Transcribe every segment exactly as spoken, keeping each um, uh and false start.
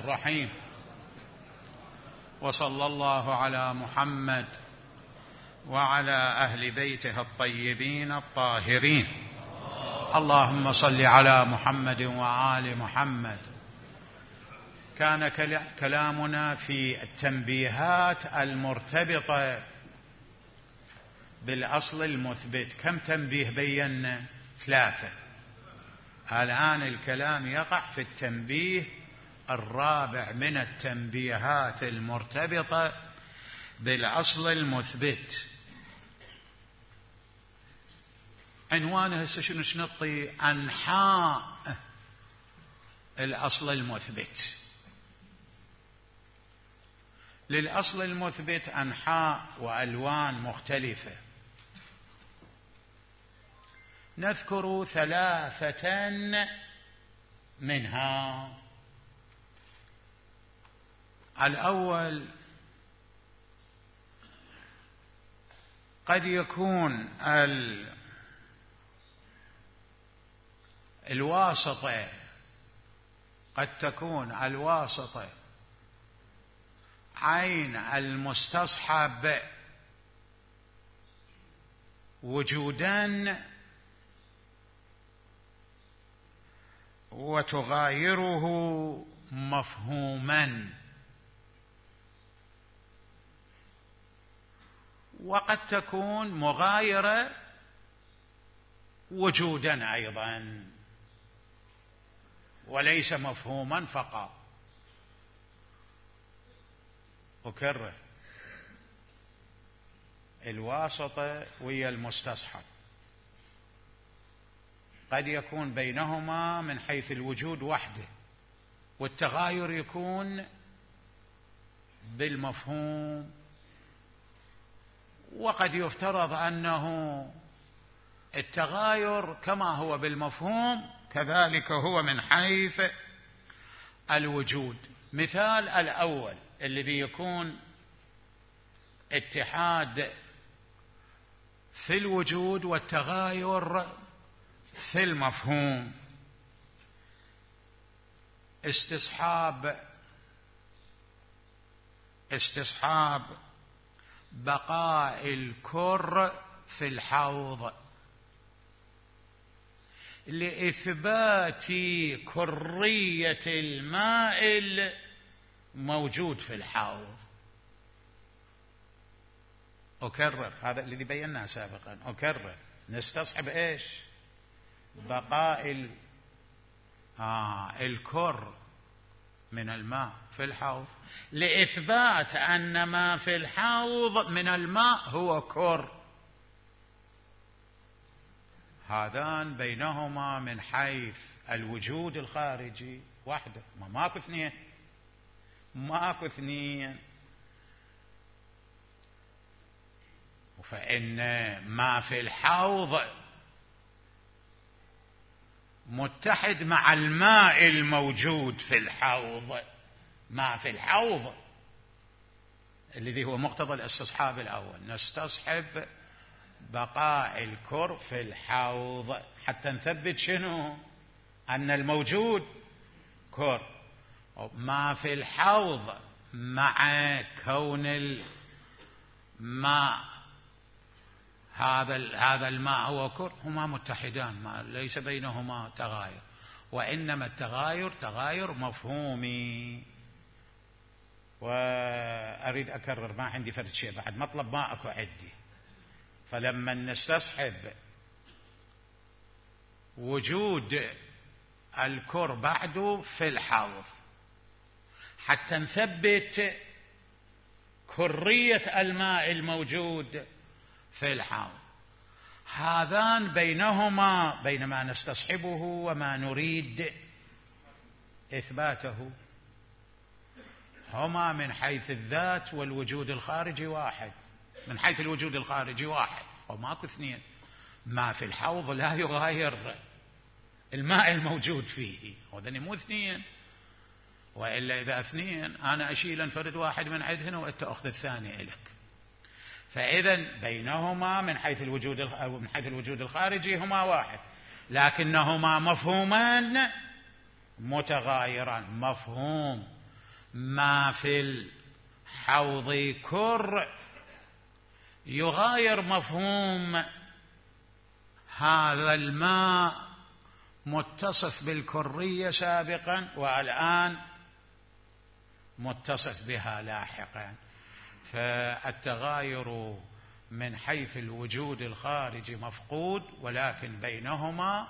الرحيم. وصلى الله على محمد وعلى أهل بيته الطيبين الطاهرين. اللهم صل على محمد وآل محمد. كان كلامنا في التنبيهات المرتبطة بالأصل المثبت. كم تنبيه بينا؟ ثلاثة. الآن الكلام يقع في التنبيه الرابع من التنبيهات المرتبطة بالأصل المثبت. عنوانه هسه شنو شنطي؟ أنحاء الأصل المثبت. للأصل المثبت أنحاء وألوان مختلفة. نذكر ثلاثة منها. الأول، قد يكون ال... الواسطة قد تكون الواسطة عين المستصحب وجودا وتغايره مفهوما، وقد تكون مغايرة وجودا أيضا وليس مفهوما فقط. أكرر، الواسطة ويا المستصحب قد يكون بينهما من حيث الوجود وحده، والتغاير يكون بالمفهوم، وقد يفترض أنه التغاير كما هو بالمفهوم كذلك هو من حيث الوجود. مثال الأول الذي يكون اتحاد في الوجود والتغاير في المفهوم. استصحاب استصحاب بقاء الكر في الحوض لإثبات كرية الماء الموجود في الحوض. أكرر، هذا الذي بيناه سابقا. أكرر، نستصحب إيش؟ بقاء ال... آه الكر من الماء في الحوض لإثبات أن ما في الحوض من الماء هو كر. هذان بينهما من حيث الوجود الخارجي واحدة، ما ماكو اثنين، ماكو اثنين. فإن ما في الحوض متحد مع الماء الموجود في الحوض. ما في الحوض الذي هو مقتضى الاستصحاب الأول. نستصحب بقاء الكر في الحوض حتى نثبت شنو؟ أن الموجود كر. ما في الحوض مع كون الماء هذا هذا الماء هو كر، هما متحدان، ما ليس بينهما تغاير، وإنما التغاير تغاير مفهومي. وأريد أكرر، ما عندي فرد شيء بعد، مطلب ما أكو عندي. فلما نستصحب وجود الكر بعده في الحوض حتى نثبت كرية الماء الموجود في الحوض، هذان بينهما بين ما نستصحبه وما نريد إثباته هما من حيث الذات والوجود الخارجي واحد. من حيث الوجود الخارجي واحد وماكو اثنين. ما في الحوض لا يغاير الماء الموجود فيه، وذني مو اثنين، وإلا إذا اثنين أنا أشيل انفرد واحد من عند هنا وأنت أخذ الثاني إلك. فإذا بينهما من حيث الوجود أو من حيث الوجود الخارجي هما واحد، لكنهما مفهومان متغايران. مفهوم ما في الحوض كر يغاير مفهوم هذا الماء متصف بالكرية سابقا والآن متصف بها لاحقا. فالتغاير من حيث الوجود الخارجي مفقود، ولكن بينهما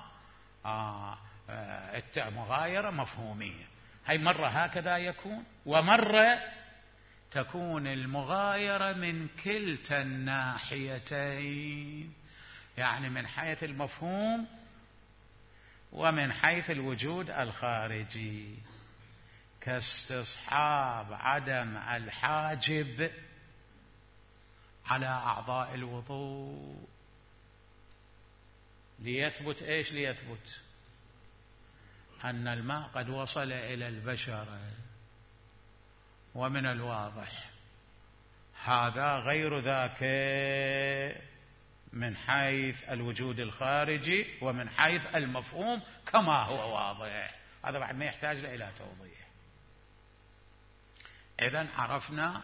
آه آه مغايرة مفهومية. هاي مرة هكذا يكون، ومرة تكون المغايرة من كلتا الناحيتين، يعني من حيث المفهوم ومن حيث الوجود الخارجي، كاستصحاب عدم الحاجب على أعضاء الوضوء. ليثبت إيش؟ ليثبت أن الماء قد وصل إلى البشرة، ومن الواضح هذا غير ذاك من حيث الوجود الخارجي ومن حيث المفهوم كما هو واضح. هذا بعد ما يحتاج إلى توضيح. إذن عرفنا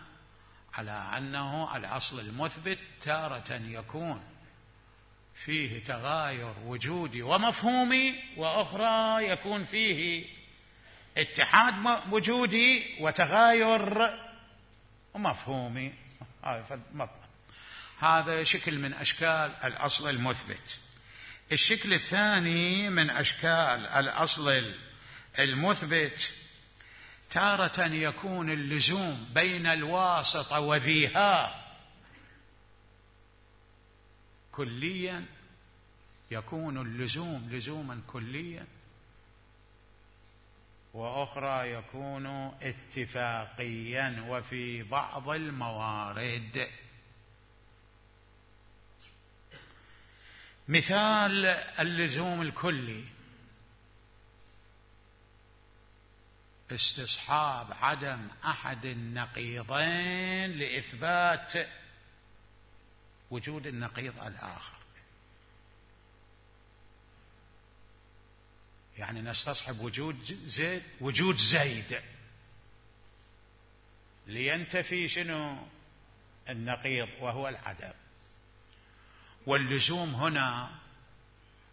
على أنه الأصل المثبت تارة يكون فيه تغاير وجودي ومفهومي، وأخرى يكون فيه اتحاد وجودي وتغاير مفهومي. هذا شكل من أشكال الأصل المثبت. الشكل الثاني من أشكال الأصل المثبت تارة يكون اللزوم بين الواسطة وذيها كليا، يكون اللزوم لزوما كليا، وأخرى يكون اتفاقيا وفي بعض الموارد. مثال اللزوم الكلي: استصحاب عدم أحد النقيضين لإثبات وجود النقيض الآخر. يعني نستصحب وجود زيد وجود زيد لينتفي شنو؟ النقيض وهو العدم. واللزوم هنا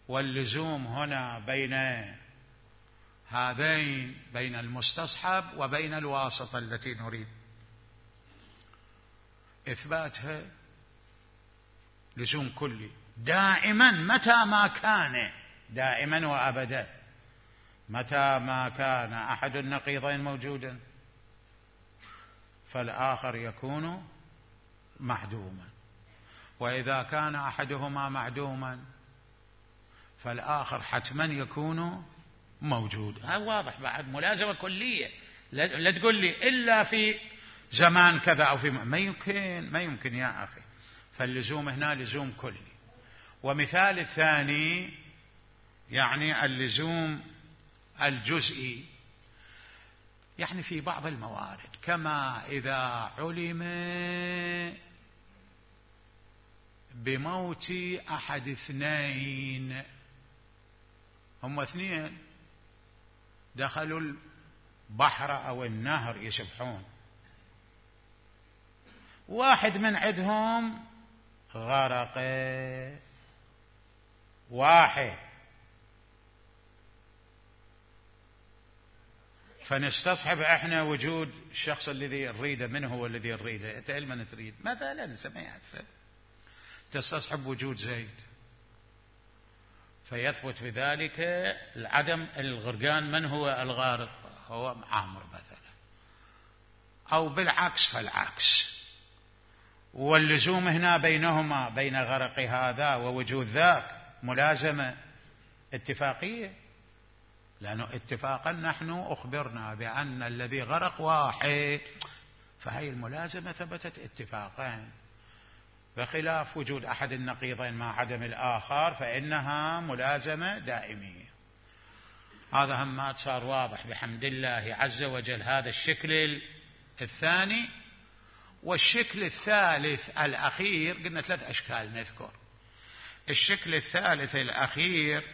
واللزوم هنا بين هذين، بين المستصحب وبين الواسطة التي نريد إثباتها، لزوم كلي دائما متى ما كان، دائما وأبدا متى ما كان أحد النقيضين موجودا فالآخر يكون معدوما، وإذا كان أحدهما معدوما فالآخر حتما يكون موجود. هذا واضح، بعد ملازمة كلية. لا تقول لي إلا في زمان كذا أو في ما يمكن، ما يمكن يا أخي. فاللزوم هنا لزوم كلي. ومثال الثاني يعني اللزوم الجزئي، يعني في بعض الموارد، كما إذا علم بموت أحد اثنين، هم اثنين دخلوا البحر أو النهر يسبحون، واحد من عندهم غرق، واحد، فنستصحب احنا وجود الشخص الذي نريده. من هو الذي نريده؟ انت من تريد؟ مثلا سمعت تستصحب وجود زيد، فيثبت بذلك العدم الغرقان. من هو الغارق؟ هو عامر مثلا، أو بالعكس فالعكس. واللزوم هنا بينهما، بين غرق هذا ووجود ذاك، ملازمة اتفاقية، لأنه اتفاقا نحن أخبرنا بأن الذي غرق واحد، فهي الملازمة ثبتت اتفاقا، بخلاف وجود أحد النقيضين مع عدم الآخر فإنها ملازمة دائمية. هذا هم صار واضح بحمد الله عز وجل. هذا الشكل الثاني. والشكل الثالث الأخير، قلنا ثلاث أشكال نذكر. الشكل الثالث الأخير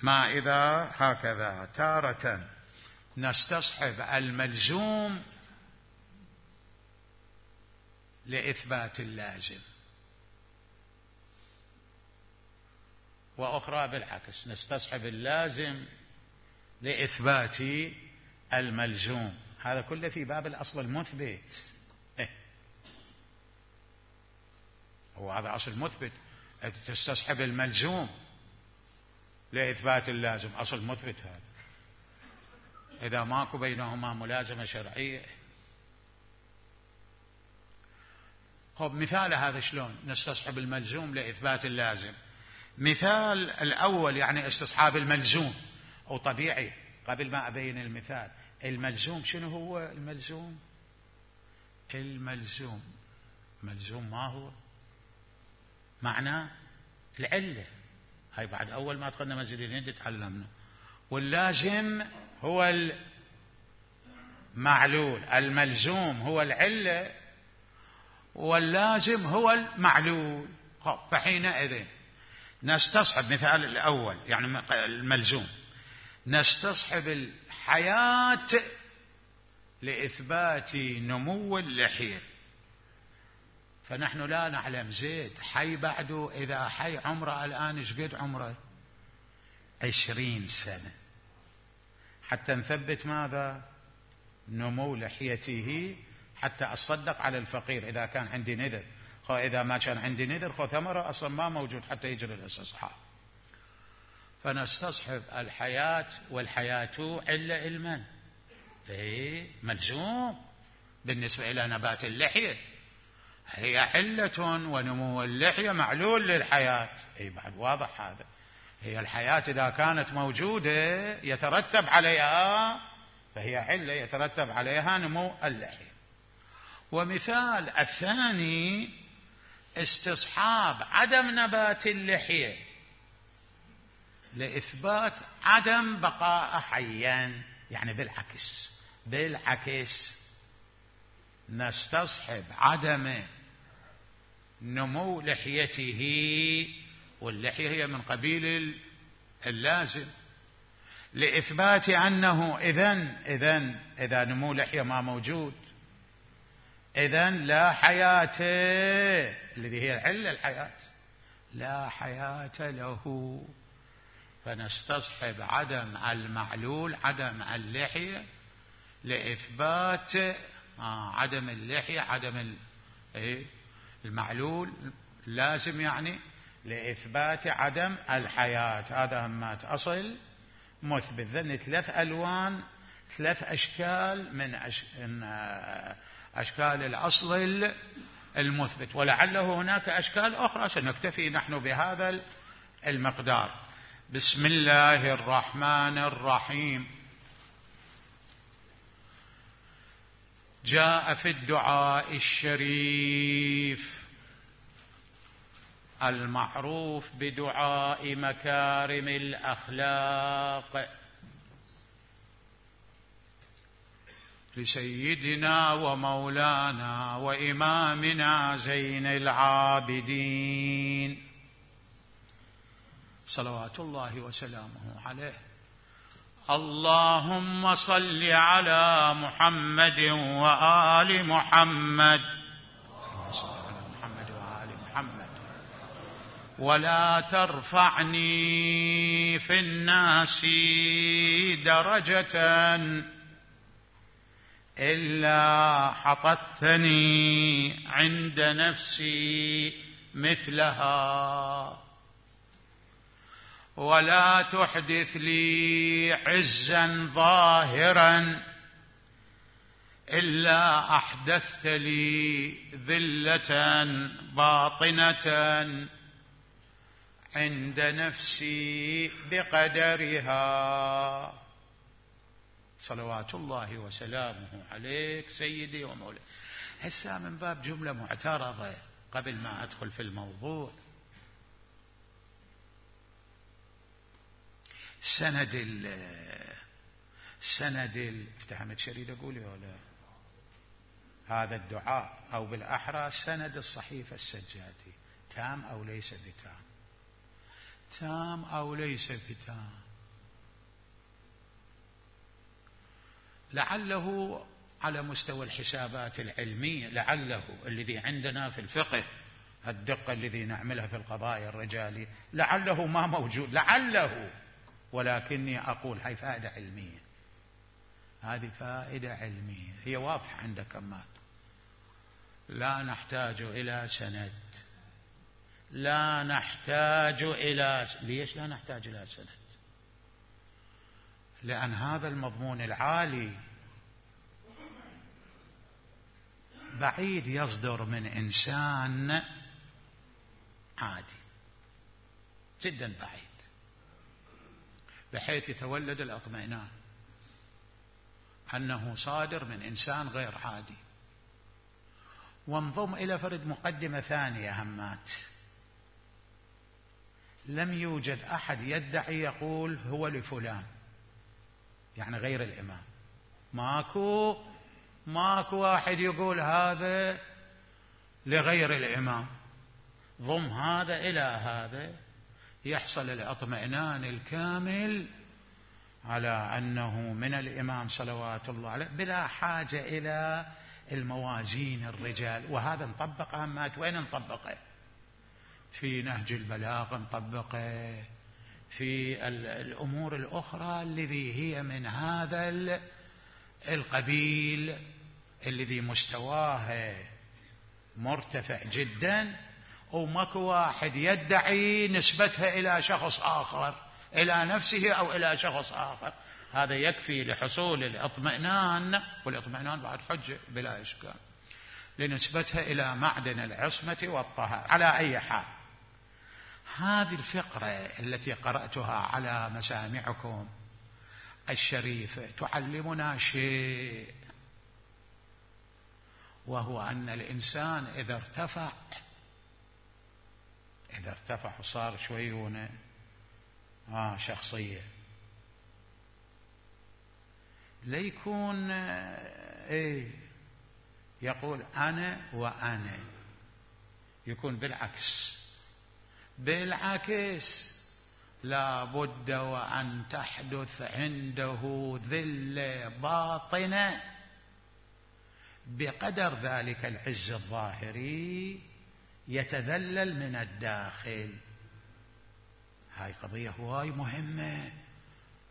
ما إذا هكذا تارة نستصحب الملزوم لإثبات اللازم، وأخرى بالعكس نستصحب اللازم لإثبات الملزوم. هذا كله في باب الأصل المثبت. إيه؟ هو هذا أصل مثبت، تستصحب الملزوم لإثبات اللازم، أصل مثبت هذا. إذا ماكو بينهما ملازمة شرعية. خب مثال هذا شلون نستصحب الملزوم لإثبات اللازم؟ مثال الأول يعني استصحاب الملزوم، أو طبيعي قبل ما أبين المثال. الملزوم شنو هو الملزوم؟ الملزوم ملزوم ما هو؟ معناه العلة. هاي بعد أول ما دخلنا مسجد الهند تعلمنا. واللازم هو المعلول، الملزوم هو العلة واللازم هو المعلول. فحينئذ نستصحب مثال الأول يعني الملزوم، نستصحب الحياة لإثبات نمو اللحية. فنحن لا نعلم زيد حي بعده، إذا حي عمره الآن ايش قد عمره؟ عشرين سنة، حتى نثبت ماذا؟ نمو لحيته، حتى أصدق على الفقير إذا كان عندي نذر. خو إذا ما كان عندي نذر خو ثمرة أصلا ما موجود حتى يجري الاستصحاب. فنستصحب الحياة، والحياة علة المن، إيه ملزوم بالنسبة إلى نبات اللحية، هي علة، ونمو اللحية معلول للحياة. أي بعد واضح هذا. هي الحياة إذا كانت موجودة يترتب عليها، فهي علة يترتب عليها نمو اللحية. ومثال الثاني استصحاب عدم نبات اللحية لإثبات عدم بقاء حيا، يعني بالعكس بالعكس نستصحب عدم نمو لحيته، واللحية هي من قبيل اللازم، لإثبات أنه إذن إذن إذا نمو لحية ما موجود إذن لا حياة، الذي هي العلة الحياة، لا حياة له. فنستصحب عدم المعلول عدم اللحية لإثبات آه عدم اللحية عدم المعلول لازم، يعني لإثبات عدم الحياة. هذا همات أصل مثبت. ذن ثلاث ألوان، ثلاث أشكال من أش... أشكال الأصل المثبت، ولعله هناك أشكال أخرى، سنكتفي نحن بهذا المقدار. بسم الله الرحمن الرحيم. جاء في الدعاء الشريف المعروف بدعاء مكارم الأخلاق لسيدنا ومولانا وإمامنا زين العابدين صلوات الله وسلامه عليه. اللهم صل على محمد وآل محمد ولا ترفعني في الناس درجة إلا حطتني عند نفسي مثلها، ولا تحدث لي عزا ظاهرا إلا أحدثت لي ذلة باطنة عند نفسي بقدرها. صلوات الله وسلامه عليك سيدي ومولاي. هسه من باب جملة معترضة قبل ما أدخل في الموضوع. سند ال سند ال افتهمت شريد أقول ولا هذا الدعاء، أو بالأحرى سند الصحيفة السجادي تام أو ليس بتام؟ تام أو ليس بتام؟ لعله على مستوى الحسابات العلمية، لعله الذي عندنا في الفقه الدقة الذي نعملها في القضايا الرجالية لعله ما موجود، لعله، ولكني أقول هاي فائدة علمية، هذه فائدة علمية هي واضحة عند كمال. لا نحتاج إلى سند، لا نحتاج إلى ليش لا نحتاج إلى سند؟ لأن هذا المضمون العالي بعيد يصدر من إنسان عادي جدا، بعيد، بحيث يتولد الاطمئنان أنه صادر من إنسان غير عادي. وانضم إلى فرد مقدمة ثانية همات، لم يوجد أحد يدعي يقول هو لفلان، يعني غير الإمام، ماكو ماكو واحد يقول هذا لغير الإمام. ضم هذا إلى هذا يحصل الاطمئنان الكامل على أنه من الإمام صلوات الله عليه بلا حاجة إلى الموازين الرجال. وهذا نطبق همات، وين نطبقه؟ في نهج البلاغة نطبقه، في الأمور الأخرى الذي هي من هذا القبيل الذي مستواه مرتفع جدا، وماكو واحد يدعي نسبتها إلى شخص آخر، إلى نفسه أو إلى شخص آخر. هذا يكفي لحصول الاطمئنان، والاطمئنان بعد حجة بلا إشكال، لنسبتها إلى معدن العصمة والطهارة. على أي حال، هذه الفقرة التي قرأتها على مسامعكم الشريفة تعلمنا شيء، وهو أن الإنسان إذا ارتفع إذا ارتفع وصار شويونه آه شخصية، ليكون إيه يقول أنا وأنا، يكون بالعكس بالعكس لا بد وأن تحدث عنده ذلة باطنة بقدر ذلك العز الظاهري يتذلل من الداخل. هاي قضية هواي مهمة،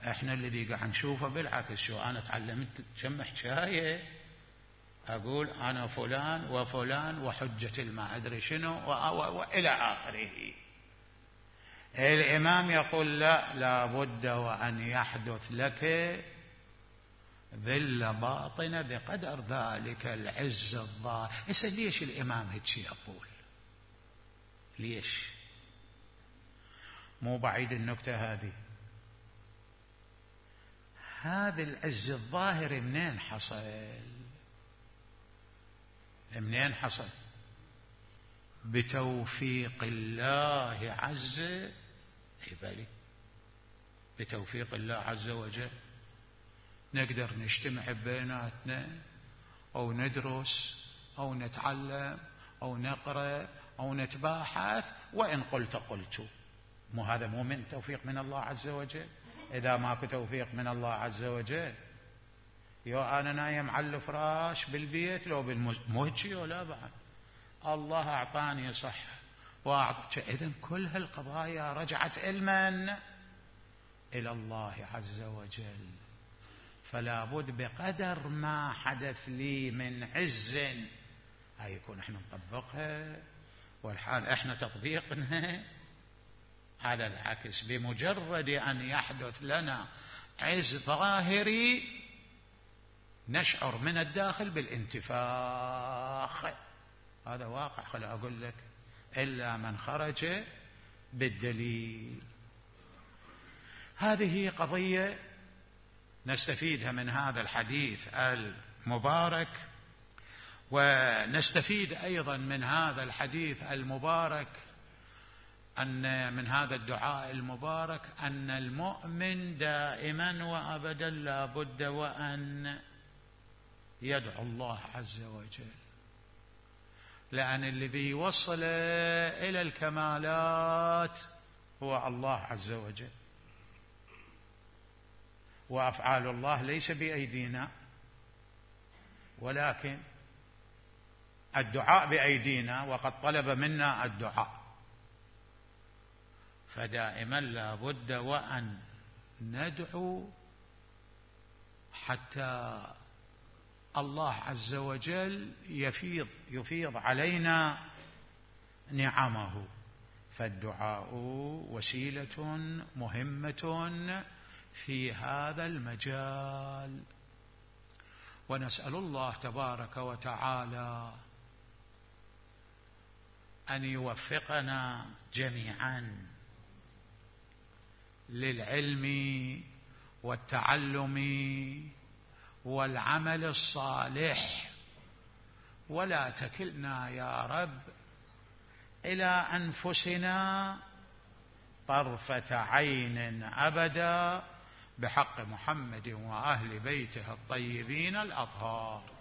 احنا الذي قاعد نشوفه بالعكس. شو أنا تعلمت كم حكاية أقول أنا فلان وفلان وحجة الما أدري شنو وإلى آخره. الإمام يقول لا، لا بد وأن يحدث لك ذلة باطنة بقدر ذلك العز الظاهر. إسا ليش الإمام هيك يقول؟ ليش؟ مو بعيد النكتة هذه. هذا العز الظاهر منين حصل؟ منين حصل؟ بتوفيق الله عز وجل. بتوفيق الله عز وجل نقدر نجتمع بيناتنا أو ندرس أو نتعلم أو نقرأ أو نتباحث، وإن قلت قلت. مو هذا مو من توفيق من الله عز وجل؟ إذا ماكو توفيق من الله عز وجل، يو أنا نايم على الفراش بالبيت لو بالمهجي ولا بعد الله أعطاني صحة وأعطى. إذن كل هالقضايا رجعت علما إلى الله عز وجل. فلا بد بقدر ما حدث لي من عز هاي يكون احنا نطبقها، والحال احنا تطبيقنا على العكس. بمجرد أن يحدث لنا عز ظاهري نشعر من الداخل بالانتفاخ. هذا واقع، خلي أقول لك، إلا من خرج بالدليل. هذه قضية نستفيدها من هذا الحديث المبارك، ونستفيد أيضا من هذا الحديث المبارك أن من هذا الدعاء المبارك أن المؤمن دائما وأبدا لا بد وأن يدعو الله عز وجل، لأن الذي يوصل إلى الكمالات هو الله عز وجل، وأفعال الله ليس بأيدينا، ولكن الدعاء بأيدينا وقد طلب منا الدعاء، فدائما لا بد وأن ندعو حتى الله عز وجل يفيض يفيض علينا نعمه. فالدعاء وسيلة مهمة في هذا المجال، ونسأل الله تبارك وتعالى أن يوفقنا جميعا للعلم والتعلم والعمل الصالح، ولا تكلنا يا رب إلى أنفسنا طرفة عين أبدا، بحق محمد وأهل بيته الطيبين الأطهار.